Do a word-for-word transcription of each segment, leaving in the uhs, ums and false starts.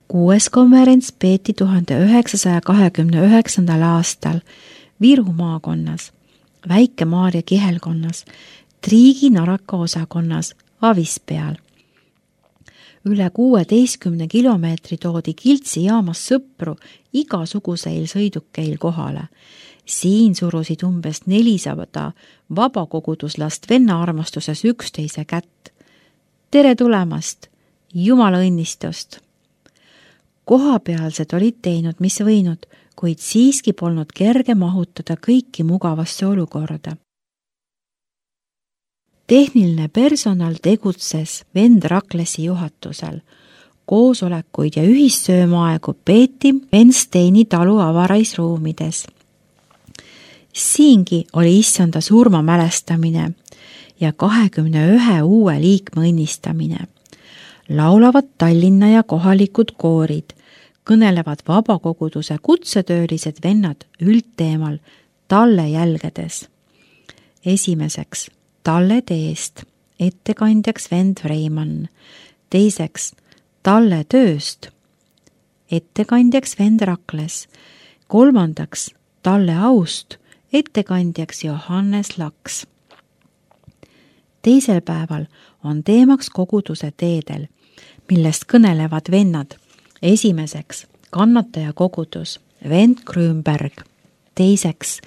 Kuues konverents peeti tuhande üheksasaja kahekümne üheksandal aastal Viru maakonnas, Väike-Maarja kihelkonnas, Triigi Naraka osakonnas Avispeal. Üle kuueteistkümne kilomeetri toodi Kiltsi jaamas sõpru igasuguseil sõidukeil kohale. Siin surusid umbes nelisada vabakoguduslast venna armastuses üksteise kätt. Tere tulemast! Jumala õnnistust! Kohapealsed olid teinud, mis võinud, kuid siiski polnud kerge mahutada kõiki mugavasse olukorda. Tehniline personal tegutses vend Raklesi juhatusel. Koosolekuid ja ühissöömaaegu peeti Vensteini talu avaraisruumides. Siingi oli issanda surma mälestamine ja kahekümne ühe uue liikme õnnistamine. Laulavad Tallinna ja kohalikud koorid, kõnelevad vabakoguduse kutsetöölised vennad üldteemal talle jälgedes. Esimeseks talle teest, ettekandjaks vend Vreimann. Teiseks talle tööst, ettekandjaks vend Rakles. Kolmandaks talle aust, ettekandjaks Johannes Laks. Teisel päeval on teemaks koguduse teedel, millest kõnelevad vennad. Esimeseks kannataja kogudus, vend Grünberg. Teiseks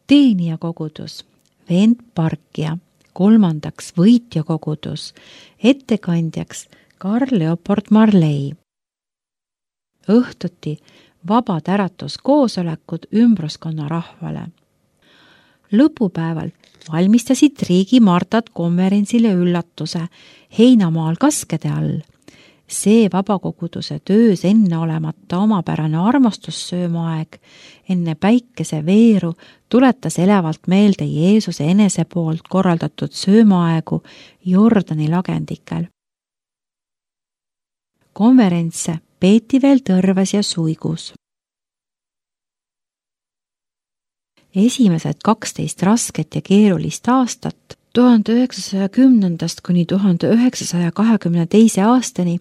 teenija kogudus, vend Parkia. Kolmandaks võitja kogudus, ettekandjaks Karl Leopold Marley. Õhtuti vabad äratuskoosolekud ümbruskonna rahvale. Lõpupäeval valmistasid Triigi Martad konverentsile üllatuse Heinamaal kaskede all. See vabakoguduse töös enne olemata omapärane armastussöömaaeg enne päikese veeru tuletas elevalt meelde Jeesuse enese poolt korraldatud söömaaegu Jordani lagendikel. Konverentse peeti veel Tõrves ja Suigus. Esimesed kaksteist rasket ja keerulist aastat tuhande üheksasaja kümnendast kuni tuhande üheksasaja kahekümne teise aastani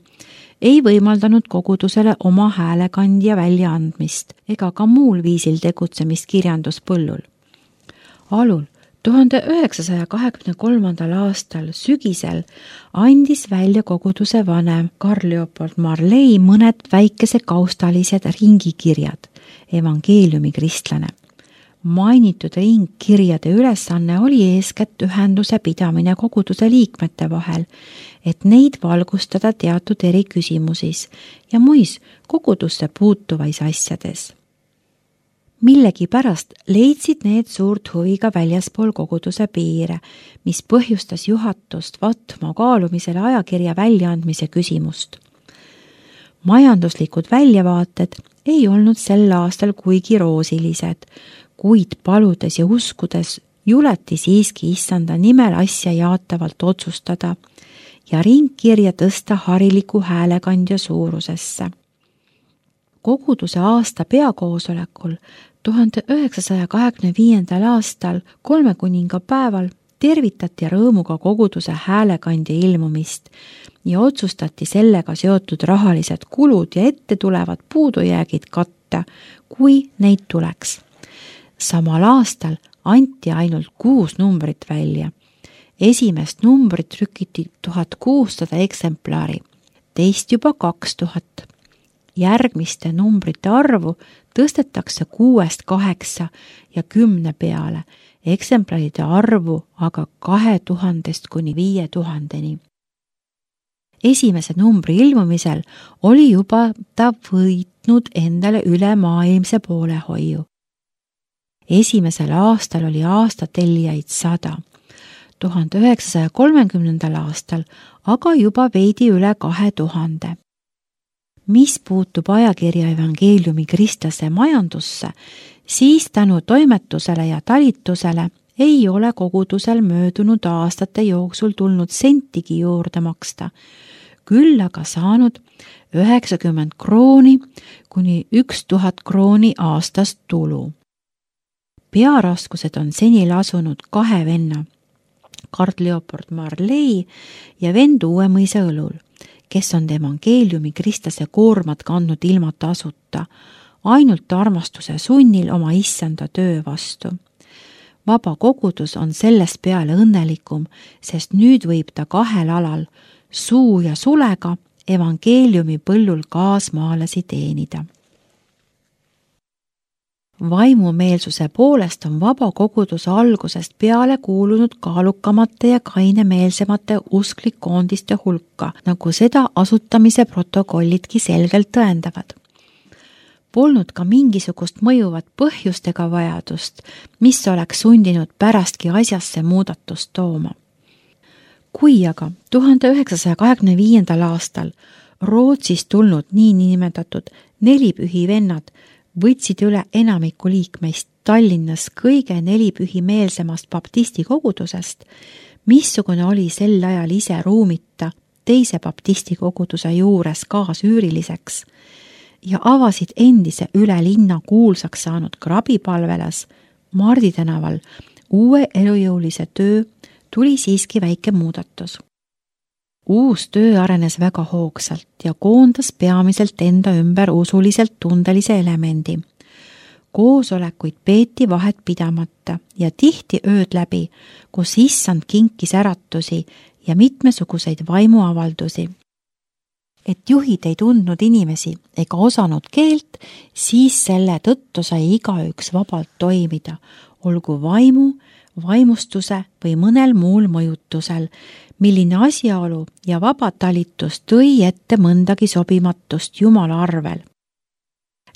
ei võimaldanud kogudusele oma häälekandja väljaandmist ega ka muul viisil tegutsemist kirjanduspõllul. Alul tuhande üheksasaja kahekümne kolmandal aastal sügisel andis välja koguduse vanem Karl Leopold Marley mõned väikese kaustalised ringikirjad, evangeeliumi kristlane. Mainitud ringkirjade ülesanne oli eeskätt ühenduse pidamine koguduse liikmete vahel, et neid valgustada teatud eri küsimusis ja muis kogudusse puutuvais asjades. Millegi pärast leidsid need suurt huvi ka väljaspool koguduse piire, mis põhjustas juhatust võtma kaalumisele ajakirja väljaandmise küsimust. Majanduslikud väljavaated ei olnud sel aastal kuigi roosilised, kuid paludes ja uskudes juleti siiski issanda nimel asja jaatavalt otsustada ja ringkirja tõsta hariliku häälekandja suurusesse. Koguduse aasta peakoosolekul tuhande üheksasaja kahekümne viiendal aastal kolme kuninga päeval tervitati rõõmuga koguduse häälekandja ilmumist ja otsustati sellega seotud rahalised kulud ja ette tulevad puudujäägid katta, kui neid tuleks. Samal aastal anti ainult kuus numbrit välja. Esimest numbrit trükiti tuhat kuussada eksemplari, teist juba kaks tuhat. Järgmiste numbrite arvu tõstetakse kuuest kaheksa ja kümne peale, eksemplaride arvu aga kahe tuhandest kuni viie tuhandeni. Esimese numbri ilmumisel oli juba ta võitnud endale ülemaailmse poolehoiu. Esimesel aastal oli aastatellijaid sada, tuhande üheksasaja kolmekümnendal aastal aga juba veidi üle kahe tuhande. Mis puutub ajakirja evangeeliumi kristlase majandusse, siis tänu toimetusele ja talitusele ei ole kogudusel möödunud aastate jooksul tulnud sentigi juurde maksta, küll aga saanud üheksakümmend krooni kuni üks tuhat krooni aastast tulu. Pearaskused on seni lasunud kahe venna, Karl Leopold Marley ja vend Uuemõisa õlul, kes on evangeeliumi kristlase koormat kandnud ilma tasuta, ainult armastuse sunnil oma issanda töö vastu. Vaba kogudus on sellest peale õnnelikum, sest nüüd võib ta kahel alal, suu ja sulega, evangeeliumi põllul kaasmaalasi teenida. Vaimumeelsuse poolest on vaba kogudus algusest peale kuulunud kaalukamate ja kainemeelsemate usklikkoondiste hulka, nagu seda asutamise protokollidki selgelt tõendavad. Polnud ka mingisugust mõjuvat põhjust ega vajadust, mis oleks sundinud pärastki asjasse muudatust tooma. Kui aga tuhande üheksasaja kahekümne viiendal aastal Rootsist tulnud niinimetatud nelipühi vennad võtsid üle enamiku liikmeist Tallinnas kõige nelipühimeelsemast baptisti kogudusest, missugune oli sel ajal ise ruumita teise baptisti koguduse juures kaasüüriliseks ja avasid endise üle linna kuulsaks saanud krabipalvelas Mardi tänaval uue elujõulise töö, tuli siiski väike muudatus. Uus töö arenes väga hoogsalt ja koondas peamiselt enda ümber usuliselt tundelise elemendi. Koosolekuid peeti vahet pidamata ja tihti ööd läbi, kus issand kinkis äratusi ja mitmesuguseid vaimuavaldusi. Et juhid ei tundnud inimesi ega osanud keelt, siis selle tõttu sai igaüks vabalt toimida, olgu vaimu, vaimustuse või mõnel muul mõjutusel, milline asjaolu ja vabatalitus tõi ette mõndagi sobimatust Jumala arvel.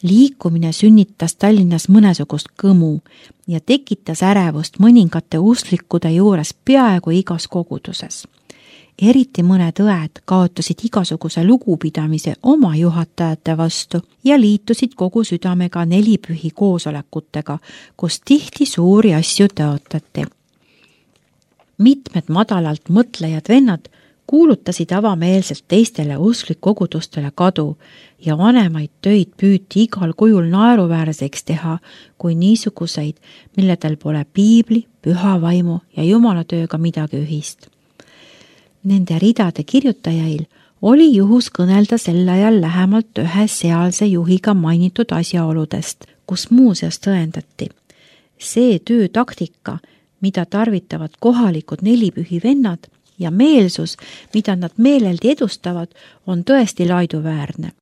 Liikumine sünnitas Tallinnas mõnesugust kõmu ja tekitas ärevust mõningate usklikude juures peaaegu igas koguduses. Eriti mõned õed kaotasid igasuguse lugupidamise oma juhatajate vastu ja liitusid kogu südamega nelipühi koosolekutega, kus tihti suuri asju tõotati. Mitmed madalalt mõtlejad vennad kuulutasid avameelselt teistele usklikkogudustele kadu ja vanemaid töid püüti igal kujul naeruväärseks teha kui niisuguseid, milledel pole piibli, püha vaimu ja jumalatööga midagi ühist. Nende ridade kirjutajail oli juhus kõnelda sel ajal lähemalt ühe sealse juhiga mainitud asjaoludest, kus muuseas tõendati. See töötaktika, mida tarvitavad kohalikud nelipühi vennad ja meelsus, mida nad meeleldi edustavad, on tõesti laiduväärne.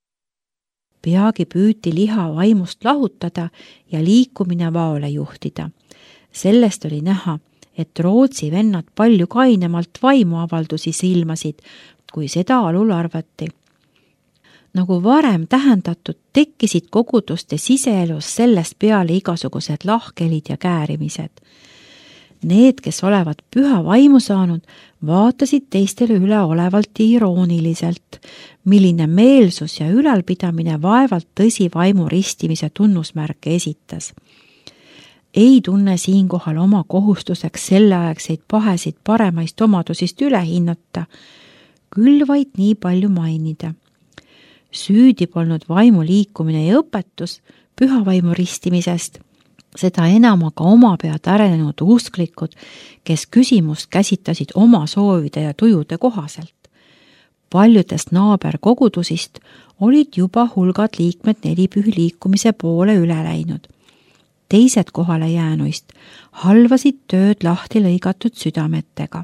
Peagi püüti liha vaimust lahutada ja liikumine vaole juhtida. Sellest oli näha, et Rootsi vennad palju kainemalt vaimuavaldusi silmasid, kui seda alul arvati. Nagu varem tähendatud, tekkisid koguduste siseelus sellest peale igasugused lahkelid ja käärimised. Need, kes olevat püha vaimu saanud, vaatasid teistele üleolevalt ja irooniliselt, milline meelsus ja ülalpidamine vaevalt tõsi vaimu ristimise tunnusmärke esitas. Ei tunne siinkohal oma kohustuseks selleaegseid pahesid paremaist omadusist üle hinnata, küll vaid nii palju mainida. Süüdi polnud vaimu liikumine ja õpetus püha vaimu ristimisest, seda enam aga oma pead arenenud usklikud, kes küsimust käsitasid oma soovide ja tujude kohaselt. Paljudest naaberkogudusist olid juba hulgad liikmed nelipühi liikumise poole üle läinud. Teised kohale jäänuist halvasid tööd lahti lõigatud südametega.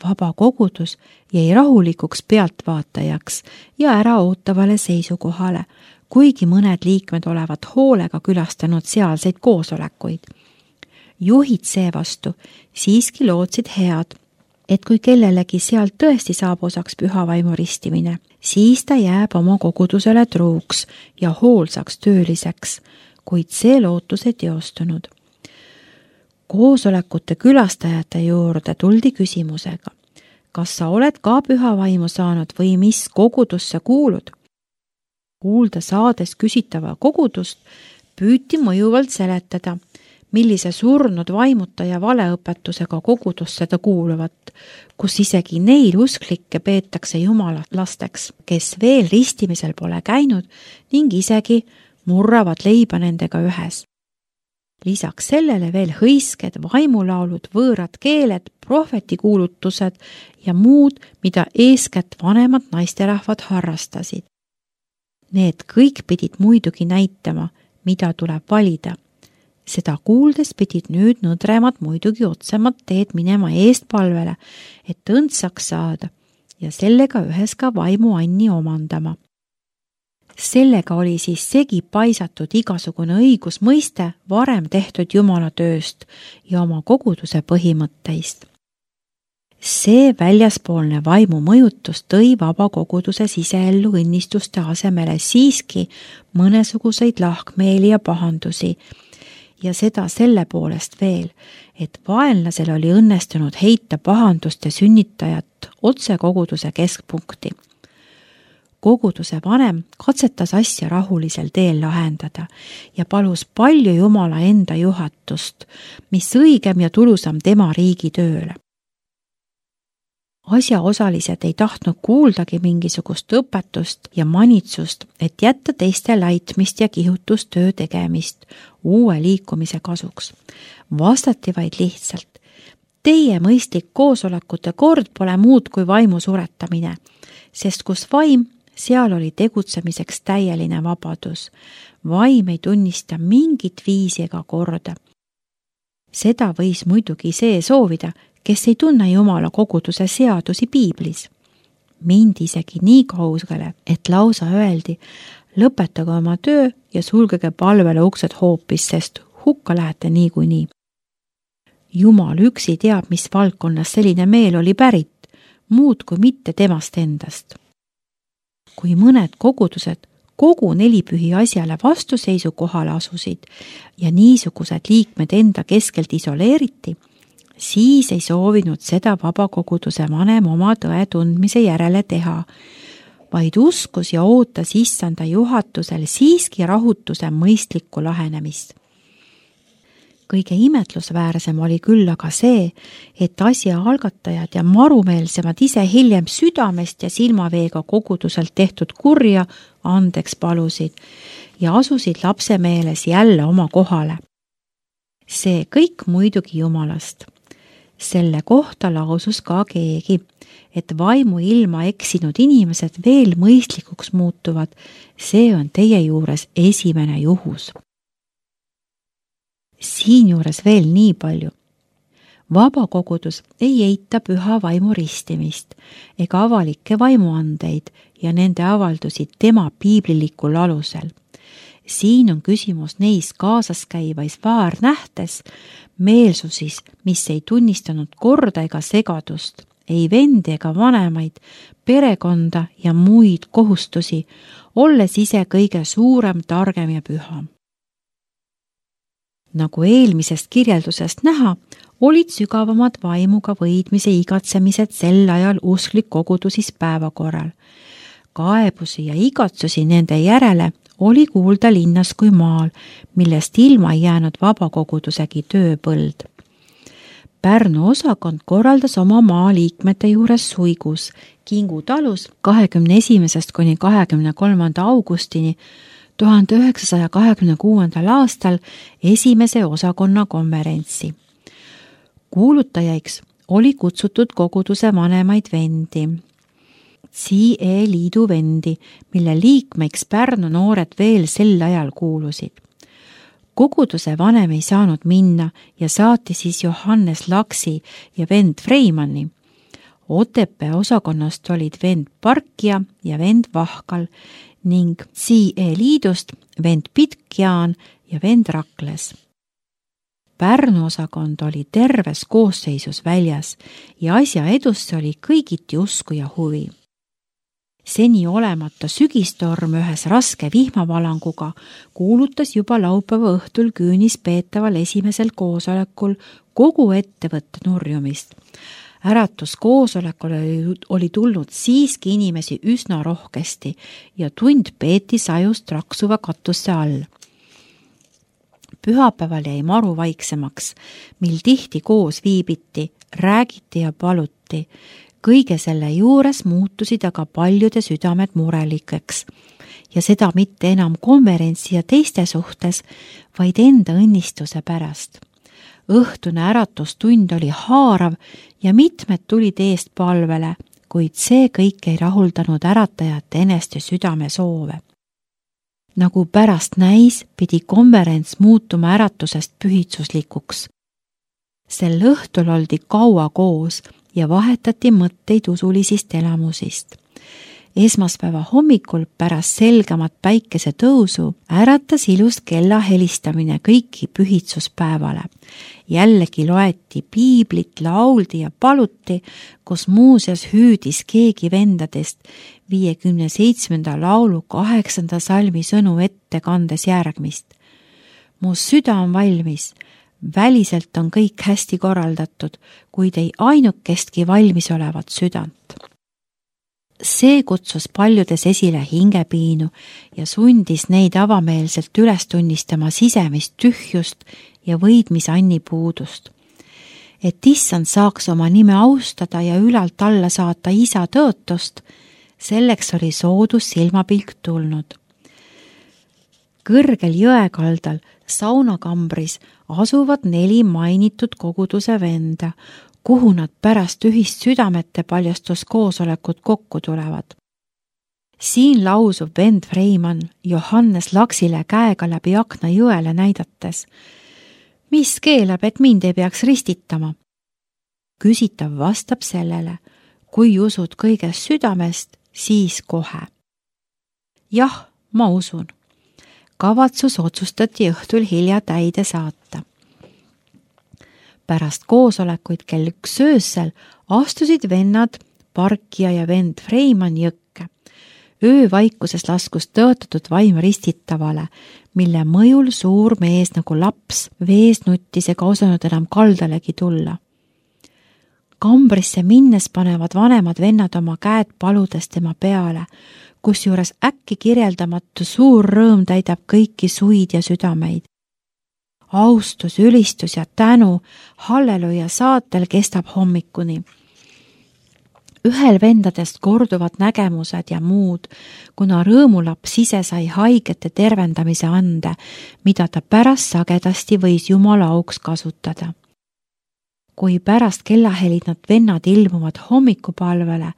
Vaba kogudus jäi rahulikuks pealtvaatajaks ja äraootavale seisukohale, kuigi mõned liikmed olevat hoolega külastanud sealseid koosolekuid. Juhid seevastu siiski lootsid head, et kui kellelegi sealt tõesti saab osaks püha vaimu ristimine, siis ta jääb oma kogudusele truuks ja hoolsaks tööliseks, kuid see lootus ei teostunud. Koosolekute külastajate juurde tuldi küsimusega, kas sa oled ka püha vaimu saanud või mis kogudusse kuulud? Kuulda saades küsitava kogudust püüti mõjuvalt seletada, millise surnud vaimuta ja valeõpetusega kogudusse ta kuuluvat, kus isegi neil usklikke peetakse jumala lasteks, kes veel ristimisel pole käinud ning isegi murravad leiba nendega ühes. Lisaks sellele veel hõisked, vaimulaulud, võõrad keeled, prohvetikuulutused ja muud, mida eeskätt vanemad naisterahvad harrastasid. Need kõik pidid muidugi näitama, mida tuleb valida. Seda kuuldes pidid nüüd nõdremad muidugi otsemat teed minema eestpalvele, et õndsaks saada ja sellega ühes ka vaimu anni omandama. Sellega oli siis segi paisatud igasugune õigusmõiste varem tehtud Jumala tööst ja oma koguduse põhimõtteist. See väljaspoolne vaimu mõjutus tõi vaba koguduse siseellu õnnistuste asemele siiski mõnesuguseid lahkmeeli ja pahandusi, ja seda selle poolest veel, et vaenlasel oli õnnestunud heita pahanduste sünnitajat otse koguduse keskpunkti. Koguduse vanem katsetas asja rahulisel teel lahendada ja palus palju Jumala enda juhatust, mis õigem ja tulusam tema riigi tööle. Asjaosalised ei tahtnud kuuldagi mingisugust õpetust ja manitsust, et jätta teiste laitmist ja kihutustöö tegemist uue liikumise kasuks. Vastati vaid lihtsalt, teie mõistlik koosolekute kord pole muud kui vaimu suretamine, sest kus vaim, seal oli tegutsemiseks täieline vabadus. Vaim ei tunnista mingit viisi ega korda. Seda võis muidugi see soovida, kes ei tunne Jumala koguduse seadusi piiblis. Mind isegi nii kaugele, et lausa öeldi, lõpetage oma töö ja sulgege palvele uksed hoopis, sest hukka lähete niikuinii. Jumal üksi teab, mis valdkonnas selline meel oli pärit, muud kui mitte temast endast. Kui mõned kogudused kogu nelipühi asjale vastuseisu kohale asusid ja niisugused liikmed enda keskelt isoleeriti, siis ei soovinud seda vabakoguduse vanem oma tõe tundmise järele teha, vaid uskus ja ootas issanda juhatusel siiski rahutuse mõistlikku lahenemist. Kõige imetlusväärsem oli küll aga see, et asja algatajad ja marumeelsemad ise hiljem südamest ja silmaveega koguduselt tehtud kurja andeks palusid ja asusid lapse meeles jälle oma kohale. See kõik muidugi Jumalast. Selle kohta lausus ka keegi, et vaimu ilma eksinud inimesed veel mõistlikuks muutuvad, see on teie juures esimene juhus. Siinjuures veel nii palju. Vabakogudus ei eita püha vaimu ristimist ega avalikke vaimuandeid ja nende avaldusi tema piiblilikul alusel. Siin on küsimus neis kaasas käivais vaarnähtes, meelsusis, mis ei tunnistanud korda ega segadust, ei vendi ega vanemaid, perekonda ja muid kohustusi, olles ise kõige suurem, targem ja püha. Nagu eelmisest kirjeldusest näha, olid sügavamad vaimuga võidmise igatsemised sel ajal usklik kogudusis päevakorral. Kaebusi ja igatsusi nende järele oli kuulda linnas kui maal, millest ilma ei jäänud vabakogudusegi tööpõld. Pärnu osakond korraldas oma maaliikmete juures suigus Kingu talus kahekümne esimesest kuni kahekümne kolmanda augustini tuhande üheksasaja kahekümne kuuendal aastal esimese osakonna konverentsi. Kuulutajaiks oli kutsutud koguduse vanemaid vendi, C E liidu vendi, mille liikmeiks Pärnu noored veel sel ajal kuulusid. Koguduse vanem ei saanud minna ja saati siis Johannes Laksi ja vend Freimanni. Otepää osakonnast olid vend Parkia ja vend Vahkal ning C E liidust vend Pitkjaan ja vend Rakles. Pärnu osakond oli terves koosseisus väljas ja asja edusse oli kõigiti usku ja huvi. Seni olemata sügistorm ühes raske vihmavalanguga kuulutas juba laupäeva õhtul küünis peetaval esimesel koosolekul kogu ettevõtte nurjumist. Äratus koosolekul oli tulnud siiski inimesi üsna rohkesti ja tund peeti sajust raksuva katusse all. Pühapäeval jäi maru vaiksemaks, mil tihti koos viibiti, räägiti ja paluti. Kõige selle juures muutusid aga paljude südamed murelikeks ja seda mitte enam konverentsi ja teiste suhtes, vaid enda õnnistuse pärast. Õhtune äratustund oli haarav ja mitmed tulid eest palvele, kuid see kõik ei rahuldanud äratajate eneste südame soove. Nagu pärast näis, pidi konverents muutuma äratusest pühitsuslikuks. Sel õhtul oldi kaua koos ja vahetati mõtteid usulisist elamusist. Esmaspäeva hommikul pärast selgemat päikese tõusu äratas ilus kella helistamine kõiki pühitsuspäevale. Jällegi loeti piiblit, lauldi ja paluti, kus muuseas hüüdis keegi vendadest viiekümne seitsmenda laulu kaheksanda salmi sõnu ette kandes järgmist. Mu süda on valmis, väliselt on kõik hästi korraldatud, kuid ei ainukestki valmis olevat südant. See kutsus paljudes esile hingepiinu ja sundis neid avameelselt üles tunnistama sisemist tühjust ja võidmisanni puudust. Et issand saaks oma nime austada ja ülalt alla saata isa tõotust, selleks oli soodus silmapilk tulnud. Kõrgel jõekaldal saunakambris asuvad neli mainitud koguduse venda, kuhu nad pärast ühist südamete paljastuskoosolekut kokku tulevad. Siin lausub vend Freimann Johannes Laksile käega läbi akna jõele näidates. Mis keelab, et mind ei peaks ristitama? Küsitav vastab sellele, kui usud kõigest südamest, siis kohe. Jah, ma usun. Kavatsus otsustati õhtul hilja täide saata. Pärast koosolekuid kell üks öösel astusid vennad Parkia ja vend Freimann jõkke. Öövaikuses laskus tõotatud vaim ristitavale, mille mõjul suur mees nagu laps vees nuttis ega osanud enam kaldalegi tulla. Kambrisse minnes panevad vanemad vennad oma käed paludes tema peale, kusjuures äkki kirjeldamatu suur rõõm täidab kõiki suid ja südameid. Austus, ülistus ja tänu halleluja saatel kestab hommikuni. Ühel vendadest korduvad nägemused ja muud, kuna rõõmulaps ise sai haigete tervendamise ande, mida ta pärast sagedasti võis Jumala auks kasutada. Kui pärast kellahelid nad vennad ilmuvad hommikupalvele,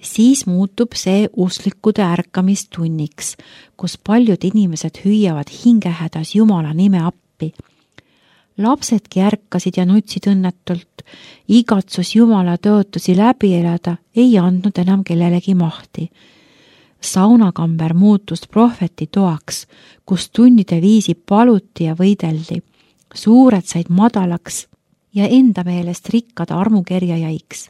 siis muutub see usklikude ärkamistunniks, kus paljud inimesed hüüavad hingehädas Jumala nime appi. Lapsedki ärkasid ja nutsid õnnetult, igatsus Jumala tõotusi läbi elada ei andnud enam kellelegi mahti. Saunakamber muutus prohveti toaks, kus tunnide viisi paluti ja võideldi. Suured said madalaks ja enda meelest rikkad armukerjajaiks.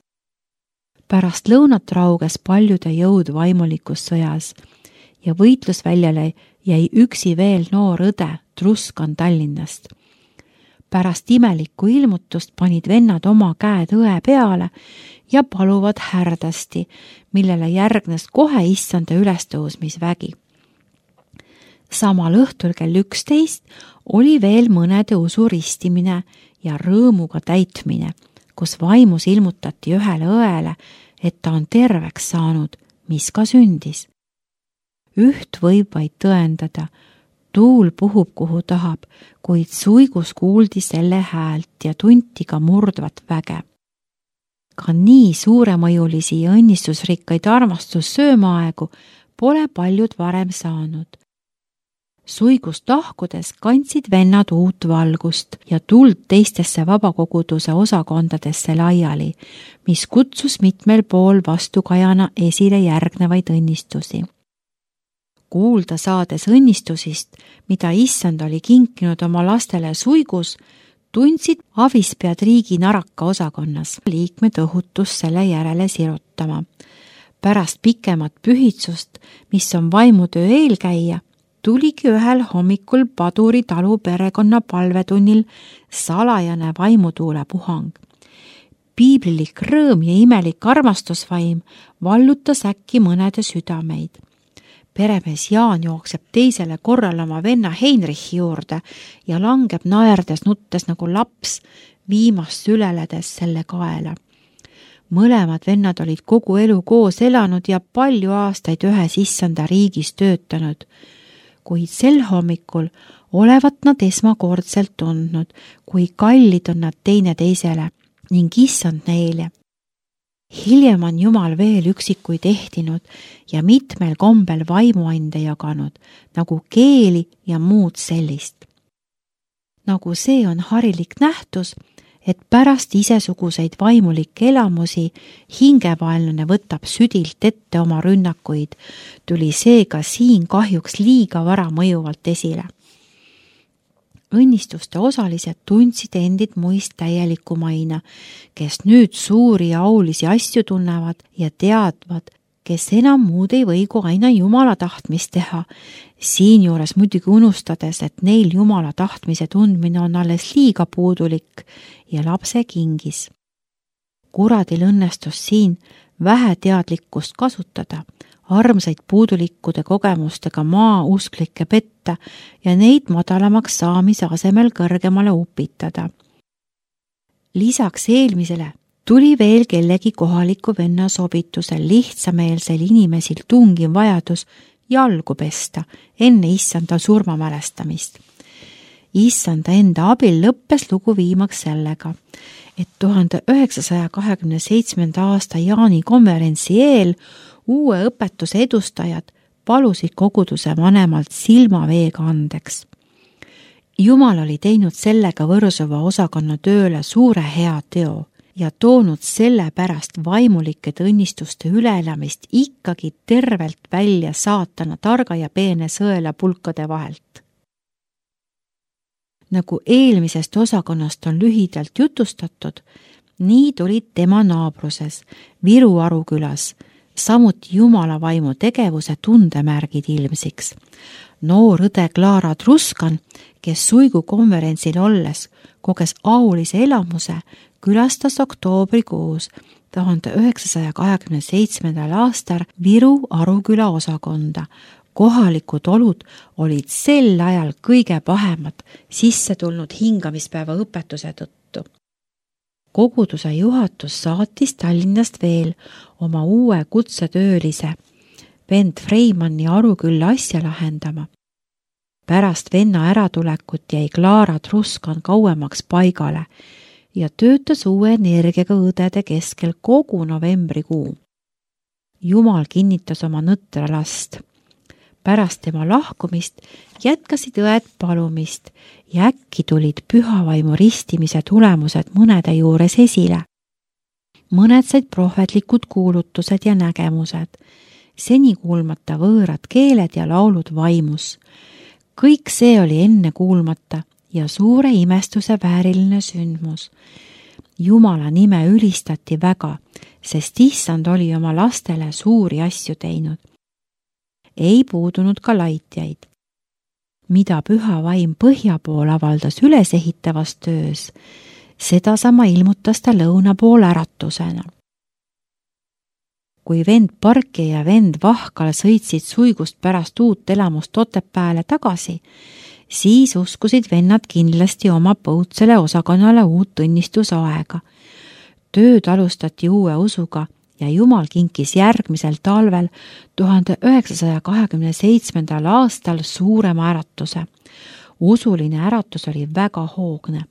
Pärast lõunat rauges paljude jõud vaimulikus sõjas ja võitlusväljale jäi üksi veel noor õde Truskan Tallinnast. Pärast imelikku ilmutust panid vennad oma käed õe peale ja paluvad härdasti, millele järgnes kohe issanda ülestõusmisvägi. Samal õhtul kell üksteist oli veel mõnede usu ristimine ja rõõmuga täitmine, kus vaimus ilmutati ühele õele, et ta on terveks saanud, mis ka sündis. Üht võib vaid tõendada, tuul puhub kuhu tahab, kuid suigus kuuldi selle häält ja tunti ka murdvat väge. Ka nii suuremõjulisi ja õnnistusrikkaid armastussöömaaegu pole paljud varem saanud. Suigust lahkudes kandsid vennad uut valgust ja tuld teistesse vabakoguduse osakondadesse laiali, mis kutsus mitmel pool vastukajana esile järgnevaid õnnistusi. Kuulda saades õnnistusist, mida issand oli kinkinud oma lastele suigus, tundsid avispead riigi naraka osakonnas liikmed õhutus selle järele sirutama. Pärast pikemat pühitsust, mis on vaimutöö eelkäija, tuligi ühel hommikul Paduri talu perekonna palvetunnil salajane vaimutuule puhang. Piiblilik rõõm ja imelik armastusvaim vallutas äkki mõnede südameid. Peremees Jaan jookseb teisele korral oma venna Heinrichi juurde ja langeb naerdes nuttes nagu laps, viimast süleledes selle kaela. Mõlemad vennad olid kogu elu koos elanud ja palju aastaid ühes issanda riigis töötanud, kuid sel hommikul olevat nad esmakordselt tundnud, kui kallid on nad teineteisele ning issand neile. Hiljem on Jumal veel üksikuid ehtinud ja mitmel kombel vaimuande jaganud, nagu keeli ja muud sellist. Nagu see on harilik nähtus, et pärast isesuguseid vaimulikke elamusi hingevaenlane võtab südilt ette oma rünnakuid, tuli seega siin kahjuks liiga vara mõjuvalt esile. Õnnistuste osalised tundsid endid muist täielikumaina, kes nüüd suuri ja aulisi asju tunnevad ja teadvad, kes enam muud ei või kui aina Jumala tahtmist teha, siinjuures muidugi unustades, et neil Jumala tahtmise tundmine on alles liiga puudulik ja lapse kingis. Kuradil õnnestus siin vähe teadlikkust kasutada, armsaid puudulikkude kogemustega maa usklikke petta ja neid madalamaks saamise asemel kõrgemale upitada. Lisaks eelmisele tuli veel kellegi kohaliku venna sobitusel lihtsameelsel inimesil tungiv vajadus jalgu pesta enne issanda surmamälestamist. Issanda enda abil lõppes lugu viimaks sellega, et tuhande üheksasaja kahekümne seitsmenda aasta Jaani konverentsi eel uue õpetuse edustajad palusid koguduse vanemalt silmaveega andeks. Jumal oli teinud sellega Võrsova osakonna tööle suure hea teo ja toonud selle pärast vaimulikede õnnistuste üleelamist ikkagi tervelt välja saatana targa ja peene sõela pulkade vahelt. Nagu eelmisest osakonnast on lühidalt jutustatud, nii tulid tema naabruses, Viru Arukülas, samuti Jumala vaimu tegevuse tundemärgid ilmsiks. Noor õde Klaara Truskan, kes Suigu konverentsil olles koges aulise elamuse, külastas oktoobrikuus tuhande üheksasaja kahekümne seitsmendal aastal Viru Aruküla osakonda. Kohalikud olud olid sel ajal kõige pahemad sisse tulnud hingamispäeva õpetuse tõttu. Koguduse juhatus saatis Tallinnast veel oma uue kutsetöölise vend Freimanni Arukülla asja lahendama. Pärast venna äratulekut jäi Klaara Truskan kauemaks paigale ja töötas uue energiaga õdede keskel kogu novembrikuu. Jumal kinnitas oma nõtra last. Pärast tema lahkumist jätkasid õed palumist ja äkki tulid pühavaimu ristimise tulemused mõnede juures esile. Mõned said prohvetlikud kuulutused ja nägemused, seni kuulmata võõrad keeled ja laulud vaimus. Kõik see oli enne kuulmata ja suure imestuse vääriline sündmus. Jumala nime ülistati väga, sest issand oli oma lastele suuri asju teinud. Ei puudunud ka laitjaid. Mida püha vaim põhja pool avaldas ülesehitavas töös, seda sama ilmutas ta lõuna pool äratusena. Kui vend Parki ja vend Vahkal sõitsid Suigust pärast uut elamust Otepääle tagasi, siis uskusid vennad kindlasti oma põutsele osakonnale uut õnnistusaega. Tööd alustati uue usuga ja Jumal kinkis järgmisel talvel tuhande üheksasaja kahekümne seitsmendal aastal suurema äratuse. Usuline äratus oli väga hoogne.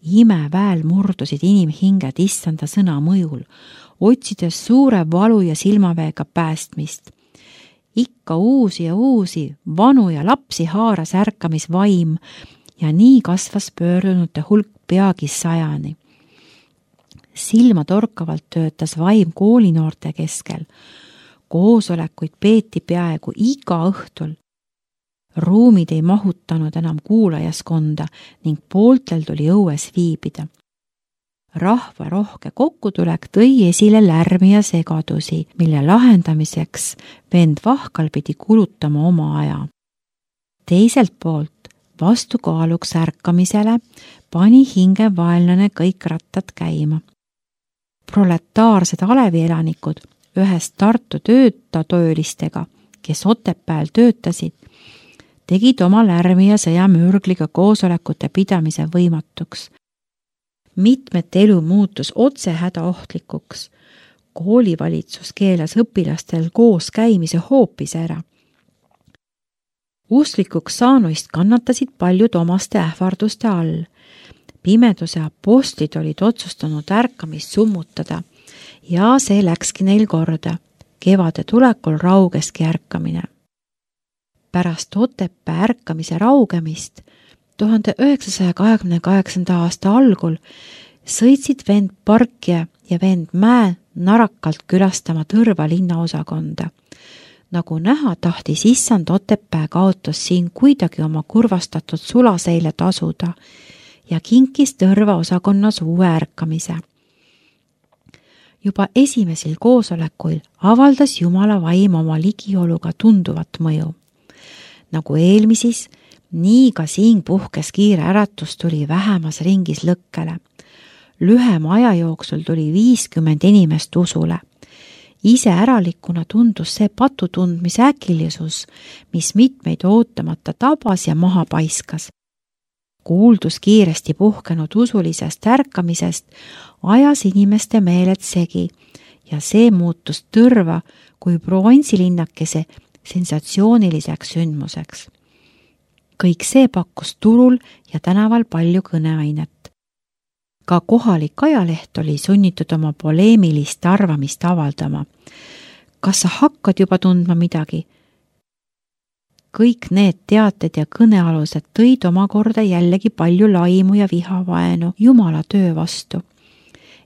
Imeväel murdusid inimhinged issanda sõna mõjul, otsides suure valu ja silmaveega päästmist. Ikka uusi ja uusi, vanu ja lapsi haaras ärkamisvaim ja nii kasvas pöördunute hulk peagi sajani. Silma torkavalt töötas vaim koolinoorte keskel. Koosolekuid peeti peaaegu iga õhtul. Ruumid ei mahutanud enam kuulajaskonda ning pooltel tuli õues viibida. Rahva rohke kokkutulek tõi esile lärmi ja segadusi, mille lahendamiseks vend Vahkal pidi kulutama oma aja. Teiselt poolt vastukaaluks ärkamisele pani hingevaenlane kõik rattad käima. Proletaarsed alevielanikud ühest Tartu töötatöölistega, kes Otepääl töötasid, tegid oma lärmi ja sõjamürgliga koosolekute pidamise võimatuks. Mitmete elu muutus otse hädaohtlikuks. koolivalitsus keelas õpilastel koos käimise hoopis ära. Usklikuks saanuist kannatasid paljud omaste ähvarduste all. Pimeduse apostlid olid otsustanud ärkamist summutada ja see läkski neil korda. Kevade tulekul raugeski ärkamine. Pärast Otepää ärkamise raugemist tuhande üheksasaja kahekümne kaheksanda aasta algul sõitsid vend Parkja ja vend Mäe narakalt külastama Tõrva linnaosakonda. Nagu näha, tahtis issand Otepää kaotus siin kuidagi oma kurvastatud sulaseile tasuda ja kinkis Tõrva osakonnas uue ärkamise. Juba esimesel koosolekuil avaldas Jumala vaim oma ligioluga tunduvat mõju. Nagu eelmisis, nii ka siin puhkes kiire äratus tuli vähemas ringis lõkkele. Lühema aja jooksul tuli viiskümmend inimest usule. Ise äralikuna tundus see patutundmise äkilisus, mis mitmeid ootamata tabas ja maha paiskas. Kuuldus kiiresti puhkenud usulisest ärkamisest ajas inimeste meeled segi ja see muutus Tõrva kui provintsilinnakese sensatsiooniliseks sündmuseks. Kõik see pakkus turul ja tänaval palju kõneainet. Ka kohalik ajaleht oli sunnitud oma poleemilist arvamist avaldama. Kas sa hakkad juba tundma midagi? Kõik need teated ja kõnealused tõid omakorda jällegi palju laimu ja vihavaenu Jumala töö vastu.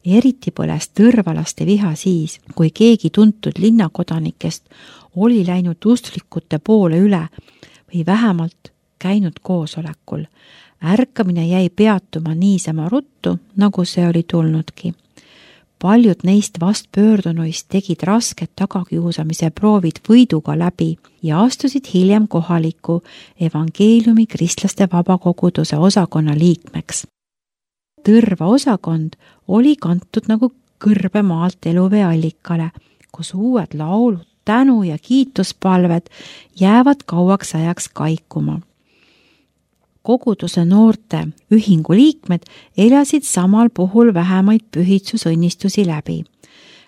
Eriti põles tõrvalaste viha siis, kui keegi tuntud linnakodanikest oli läinud usklikute poole üle või vähemalt käinud koosolekul. Ärkamine jäi peatuma niisama ruttu, nagu see oli tulnudki. Paljud neist vastpöördunuist tegid rasked tagakiusamise proovid võiduga läbi ja astusid hiljem kohaliku evangeeliumi kristlaste vabakoguduse osakonna liikmeks. Tõrva osakond oli kantud nagu kõrbe maalt eluvee allikale, kus uued laulud, tänu ja kiituspalved jäävad kauaks ajaks kaikuma. Koguduse noorte ühingu liikmed elasid samal puhul vähemaid pühitsusõnnistusi läbi.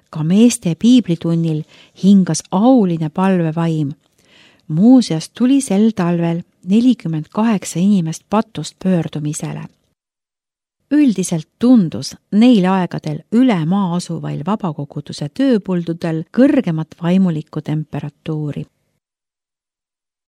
Ka meeste piiblitunnil hingas auline palvevaim. Muuseas tuli sel talvel nelikümmend kaheksa inimest patust pöördumisele. Üldiselt tundus neil aegadel üle maa asuvail vabakoguduse tööpuldudel kõrgemat vaimulikku temperatuuri.